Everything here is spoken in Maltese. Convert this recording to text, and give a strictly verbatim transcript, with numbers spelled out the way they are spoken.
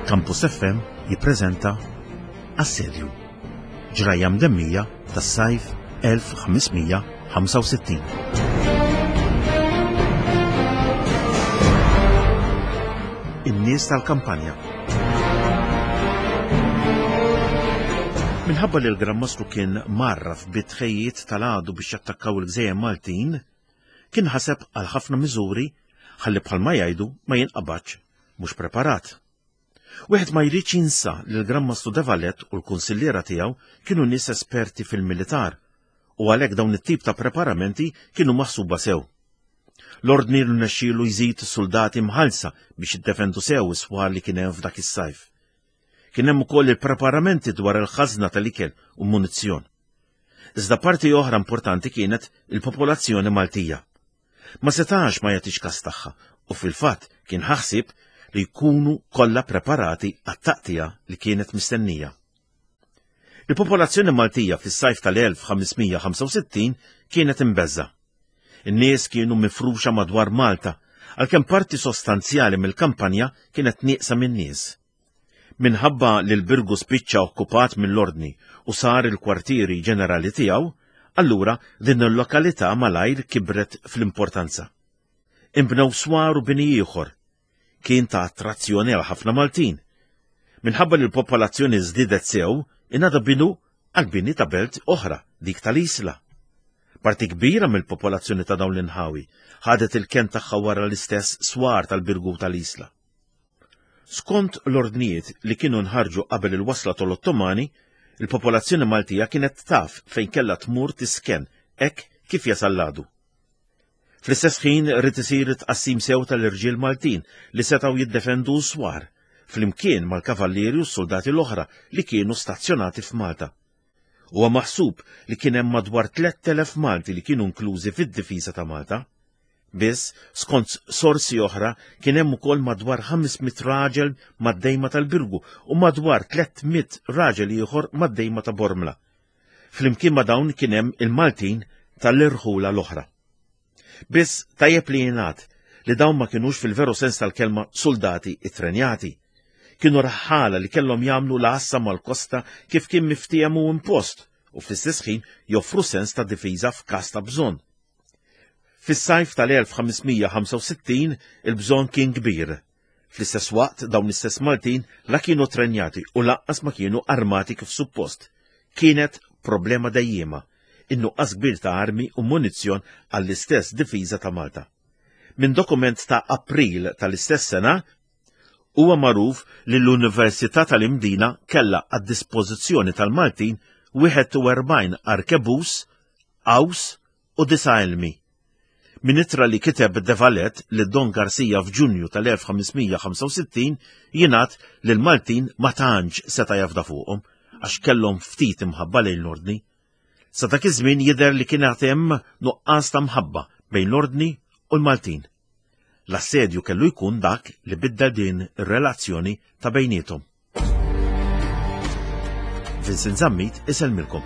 Campus F M jippreżenta Assedju, ġrajja mdemmija tas-sajf elf ħames mija ħamsa u sittin. In-nies tal-kampanja. Minħabba li l-Gran Mastru kien marraf bit-tħejjiet tal-għadu biex jattakkaw il-gżejjer Maltin, kien ħaseb għal ħafna miżuri ħalli bħalma jgħidu ma jinqabadx mhux preparat. Wieħed ma jridx jinsa li l-Gran Mastru de Valette u l-kunsilliera tiegħu kienu nies esperti fil-militar u għalhekk dawn it-tip ta' preparamenti kienu maħsuba sew. L-ordni rnexxielu jżid soldati mħallsa biex jiddefendu sew is-swar li kien hemm f'dak is-sajf. Kien hemm ukoll il-preparamenti dwar il-ħażna tal-ikel u munizzjon. Iżda parti oħra importanti kienet il-popolazzjoni Maltija. Ma setax ma jagħtix kas tagħha u fil-fatt kien ħaħsib li jkunu kollha preparati għat-taqtija li kienet mistennija. Il-popolazzjoni Maltija fis-sajf tal-elf ħames mija ħamsa u sittin kienet imbeżża. In-nies kienu mifruxa madwar Malta, għalkemm parti sostanzjali mill-kampanja kienet nieqsa min-nies. Minħabba li l-Birgu spiċċa okkupat mill-Ordni u sar il-kwartieri ġenerali tiegħu, allura din il-lokalità malajr kibret fl-importanza. Inbnew swar u bini ieħor kien ta' attrazzjoni għal ħafna Maltin. Minħabba li l-popolazzjoni żdiedet sew, ingħata bidu għal bini ta' belt oħra, dik tal-Isla. Parti kbira mill-popolazzjoni ta' dawn l-inħawi ħadet il-ken tagħha wara l-istess swar tal-Birgu tal-Isla. Skont l-ordnijiet li kienu nħarġu qabel il-wasla tal-Ottomani, il-popolazzjoni Maltija kienet taf fejn kellha tmur tisken hekk kif jasal l-għadu. Fl-istess ħin rid isir tqassim sew tal-irġiel Maltin li setgħu jiddefendu s-swar, flimkien mal-kavallieri u s-soldati l-oħra li kienu stazzjonati f'Malta. Huwa maħsub li kien hemm madwar tlett elef Malti li kienu inklużi fid-difiża ta' Malta. Biss, skont sorsi oħra, kien hemm ukoll madwar ħames mitt raġel mad-dejma tal-Birgu u madwar tliet mitt raġel ieħor mad-dejma ta' Bormla. Flimkien ma' dawn kien hemm il-Maltin tal-irħula l-oħra. Biss tajjeb li jingħad li dawn ma kinux fil-veru sens tal-kelma soldati ittrenjati. Kienu raħħala li kellhom jagħmlu l-għassa mal-kosta kif kien miftiem u impost u fl-istess ħin joffru sens ta' difiża f'każ ta' bżonn. Fis-sajf tal-elf ħames mija ħamsa u sittin il-bżonn kien kbir. Fl-istess waqt dawn l-istess Maltin la kienu trenjati u lanqas ma kienu armati kif suppost. Kienet problema dejjema, in-nuqqas kbir ta' armi u munizzjon għall-istess difiża ta' Malta. Minn dokument ta' April tal-istess sena, huwa magħruf li l-Università tal-Imdina kellha għad-dispożizzjoni tal-Maltin wieħed u erbgħin arkebus, qaws u disa' elmi. Minn ittra li kiteb De Valette li Don Garcia f'Ġunju tal-elf ħames mija ħamsa u sittin jingħad li l-Maltin ma tantx seta' jafda fuqhom għax kellhom ftit imħabba lejn l-Ordni. Sa dak iż-żmien jidher li kien għad hemm nuqqas ta' mħabba bejn l-Ordni u l-Maltin. L-assedju kellu jkun dak li biddel din ir-relazzjoni ta' bejniethom. Vincent Zammit isellmilkom.